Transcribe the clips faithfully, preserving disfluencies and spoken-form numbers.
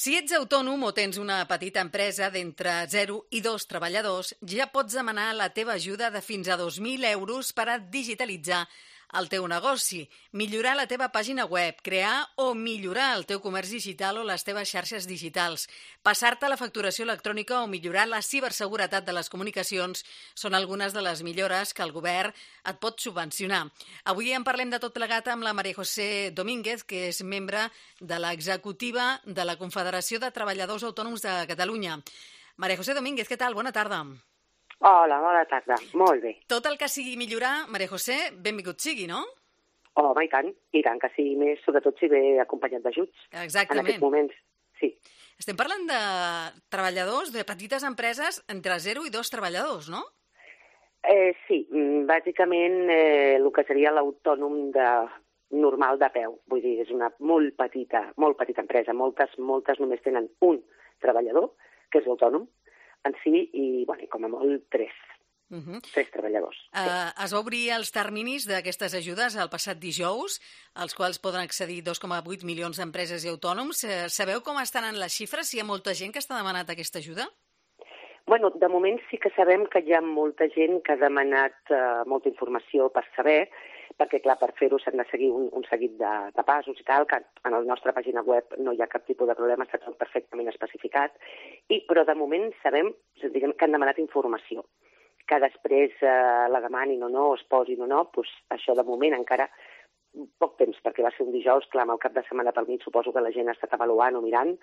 Si ets autònom o tens una petita empresa d'entre zero i dos treballadors, ja pots demanar la teva ajuda de fins a dos mil euros per a digitalitzar el teu negoci, millorar la teva pàgina web, crear o millorar el teu comerç digital o les teves xarxes digitals, passar-te la facturació electrònica o millorar la ciberseguretat de les comunicacions són algunes de les millores que el govern et pot subvencionar. Avui en parlem de tot plegat amb la María José Domínguez, que és membre de l'executiva de la Confederació de Treballadors Autònoms de Catalunya. María José Domínguez, què tal? Bona tarda. Hola, bona tarda. Molt bé. Tot el que sigui millorar, María José, benvingut sigui, no? Home, i tant, i tant que sigui més, sobretot si ve acompanyat d'ajuts. Exactament. En aquests moments, sí. Estem parlant de treballadors, de petites empreses entre zero i dos treballadors, no? Eh, sí, bàsicament eh, el que seria l'autònom de normal de peu. Vull dir, és una molt petita, molt petita empresa. Moltes, moltes només tenen un treballador, que és l'autònom, en si, i, bueno, com a molt, tres. Uh -huh. Tres treballadors. Uh, sí. Es va obrir els terminis d'aquestes ajudes el passat dijous, als quals poden accedir dos coma vuit milions d'empreses i autònoms. Uh, sabeu com estan en les xifres? Si hi ha molta gent que està demanat aquesta ajuda? Bueno, de moment sí que sabem que hi ha molta gent que ha demanat uh, molta informació per saber, perquè, clar, per fer-ho s'han de seguir un, un seguit de, de passos i tal, que en la nostra pàgina web no hi ha cap tipus de problema, està tot perfectament especificat, i, però de moment sabem, diguem, que han demanat informació. Que després eh, la demanin o no, es posin o no, doncs això de moment encara poc temps, perquè va ser un dijous, clar, amb el cap de setmana pel mig suposo que la gent ha estat avaluant o mirant,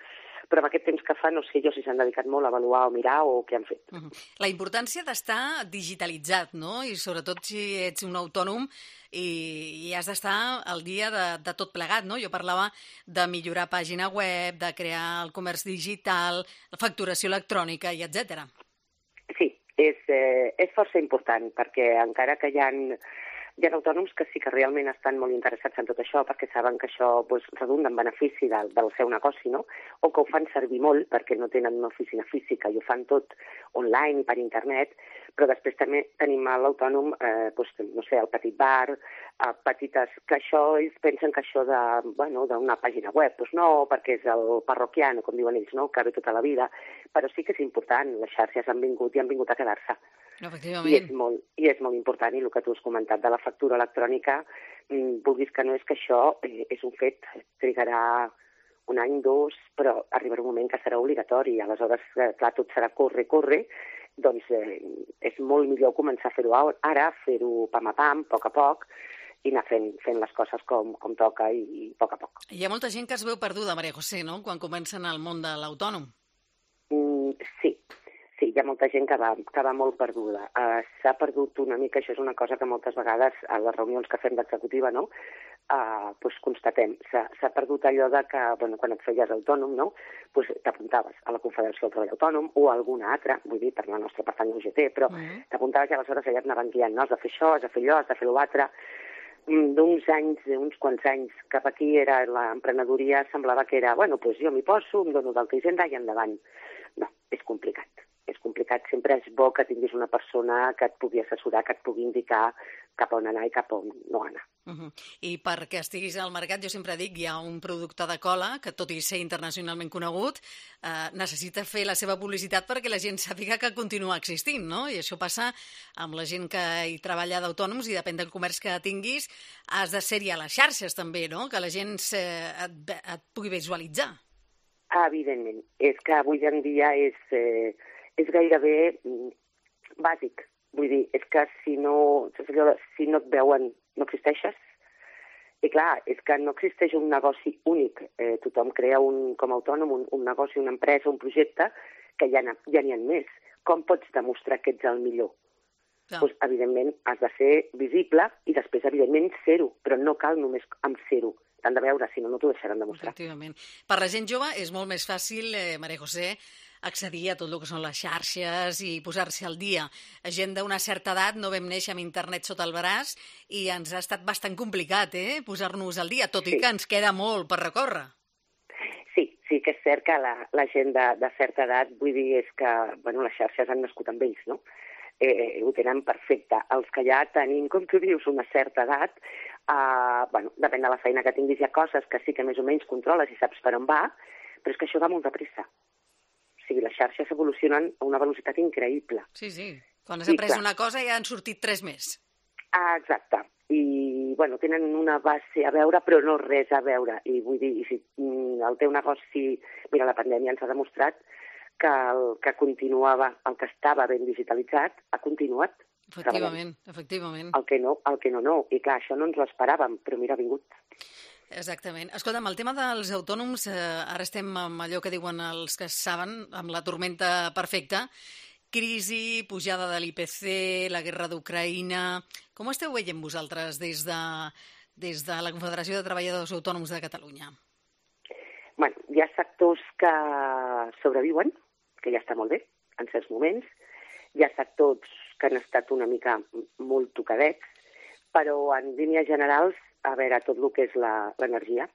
però amb aquest temps que fa no sé jo si s'han dedicat molt a avaluar o mirar o què han fet. Uh -huh. La importància d'estar digitalitzat, no? I sobretot si ets un autònom i, i has d'estar al dia de, de tot plegat, no? Jo parlava de millorar pàgina web, de crear el comerç digital, la facturació electrònica i etcètera. Sí, és, eh, és força important, perquè encara que hi ha... Hi ha autònoms que sí que realment estan molt interessats en tot això perquè saben que això pues, redunda en benefici del, del seu negoci, no? O que ho fan servir molt perquè no tenen una oficina física i ho fan tot online, per internet, però després també tenim l'autònom, eh, pues, no sé, el petit bar, eh, petites... que això, ells pensen que això de, bueno, d'una pàgina web, doncs no, perquè és el parroquiano, com diuen ells, no? Que ve tota la vida, però sí que és important, les xarxes han vingut i han vingut a quedar-se. I és, molt, I és molt important, i el que tu has comentat de la factura electrònica, mmm, vulguis que no, és que això eh, és un fet, trigarà un any, dos, però arribarà un moment que serà obligatori, aleshores, eh, clar, tot serà corre, corre, doncs eh, és molt millor començar a fer-ho ara, fer-ho pam a pam, a poc a poc, i anar fent, fent les coses com, com toca i, i a poc a poc. Hi ha molta gent que es veu perduda, María José, no?, quan comencen al món de l'autònom. Mm, sí. Sí, hi ha molta gent que va, que va molt perduda. Uh, S'ha perdut una mica, això és una cosa que moltes vegades a les reunions que fem d'executiva, no?, uh, pues constatem. S'ha perdut allò de que, bueno, quan et feies autònom, no?, pues t'apuntaves a la Confederació del Treball Autònom o a alguna altra, vull dir, per la nostra pertany a U G T, però uh-huh. t'apuntaves i aleshores allà et anaven guiant, no?, has de fer això, has de fer allò, has de fer l'altre. D'uns anys, d'uns quants anys cap aquí era l'emprenedoria, semblava que era, bueno, pues jo m'hi poso, em dono d'alta hisenda i endavant. No, és complicat. És complicat, sempre és bo que tinguis una persona que et pugui assessorar, que et pugui indicar cap on anar i cap on no anar. Uh -huh. I perquè estiguis al mercat, jo sempre dic, hi ha un producte de cola que, tot i ser internacionalment conegut, eh, necessita fer la seva publicitat perquè la gent sàpiga que continua existint, no? I això passa amb la gent que hi treballa d'autònoms i depèn del comerç que tinguis, has de ser-hi a les xarxes també, no?, que la gent eh, et, et pugui visualitzar. Evidentment, és que avui en dia és... Eh, és gairebé bàsic. Vull dir, és que si no, si no et veuen, no existeixes. I clar, és que no existeix un negoci únic. Eh, tothom crea un, com a autònom un, un negoci, una empresa, un projecte, que ja n'hi ha més. Com pots demostrar que ets el millor? No. Pues, evidentment, has de ser visible i després, evidentment, ser-ho. Però no cal només amb ser-ho. T'han de veure, si no, no t'ho deixaran demostrar. Efectivament. Per la gent jove és molt més fàcil, eh, María José, accedir a tot el que són les xarxes i posar-se al dia. Gent d'una certa edat no vam néixer amb internet sota el braç i ens ha estat bastant complicat, eh?, posar-nos al dia, tot sí. I que ens queda molt per recórrer. Sí, sí que és cert que la, la gent de, de certa edat, vull dir, és que bueno, les xarxes han nascut amb ells, no? Eh, ho tenen perfecte. Els que ja tenim, com tu dius, una certa edat, eh, bueno, depèn de la feina que tinguis, hi ha coses que sí que més o menys controles i saps per on va, Però és que això va molt de pressa. O sigui, les xarxes evolucionen a una velocitat increïble. Sí, sí. Quan has après una cosa ja han sortit tres més. Ah, exacte. I, bueno, tenen una base a veure, però no res a veure. I vull dir, si el teu negoci... Mira, la pandèmia ens ha demostrat que el que continuava, el que estava ben digitalitzat, ha continuat. Efectivament, efectivament. El que no, el que no, no. I clar, això no ens ho esperàvem, però mira, ha vingut. Exactament. Escolta'm, el tema dels autònoms, eh, ara estem amb allò que diuen els que saben, amb la tormenta perfecta, crisi, pujada de l'I P C, la guerra d'Ucraïna... Com ho esteu veient vosaltres des de, des de la Confederació de Treballadors Autònoms de Catalunya? Bueno, hi ha sectors que sobreviuen, que ja està molt bé, en certs moments. Hi ha sectors que han estat una mica molt tocadets, però en línies generals, a veure, tot el que és l'energia,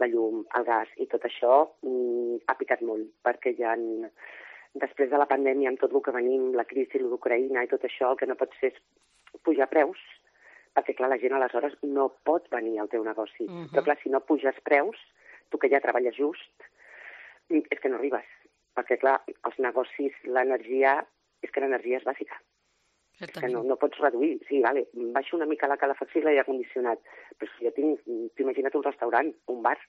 la llum, el gas i tot això mm, ha picat molt, perquè hi ha... Després de la pandèmia, amb tot el que venim, la crisi d'Ucraïna i tot això, el que no pot ser és pujar preus, perquè, clar, la gent aleshores no pot venir al teu negoci. Uh-huh. Però, clar, si no puges preus, tu que ja treballes just, és que no arribes. Perquè, clar, els negocis, l'energia, és que l'energia és bàsica. Que no, no pots reduir. Sí, vale, baixo una mica la calefacció i l'aire condicionat, però si jo tinc, t'imagina't un restaurant, un bar,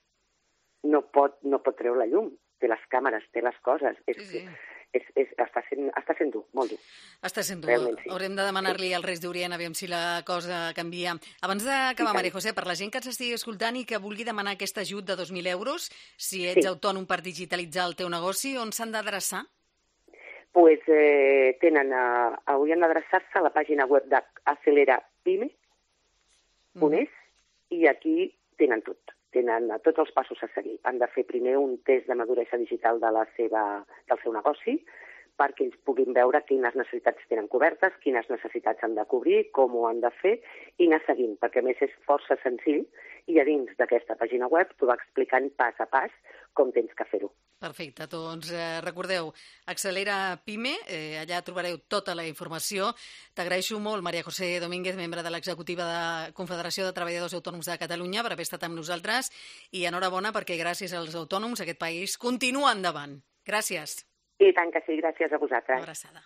no pot, no pot treure la llum, té les càmeres, té les coses. És, sí, sí. És, és, està, sent, està sent dur, molt dur. Està sent dur. Sí. Haurem de demanar-li sí. als Reis d'Orient, aviam si la cosa canvia. Abans d'acabar, Maria José, per la gent que ens estigui escoltant i que vulgui demanar aquest ajut de dos mil euros, si ets sí. autònom per digitalitzar el teu negoci, on s'han d'adreçar? Pues eh, tenen, uh, haurien d'adreçar-se a la pàgina web d'aceleratpime punt es mm. i aquí tenen tot. Tenen tots els passos a seguir. Han de fer primer un test de maduresa digital de la seva, del seu negoci perquè ells puguin veure quines necessitats tenen cobertes, quines necessitats han de cobrir, com ho han de fer i anar seguint, perquè a més és força senzill i a dins d'aquesta pàgina web t'ho va explicant pas a pas com tens que fer-ho. Perfecte, doncs eh, recordeu, Accelera Pime, eh, allà trobareu tota la informació. T'agraeixo molt, Maria José Domínguez, membre de l'executiva de Confederació de Treballadors Autònoms de Catalunya, per haver estat amb nosaltres i enhorabona perquè gràcies als autònoms aquest país continua endavant. Gràcies. I tant que sí, gràcies a vosaltres. Una abraçada.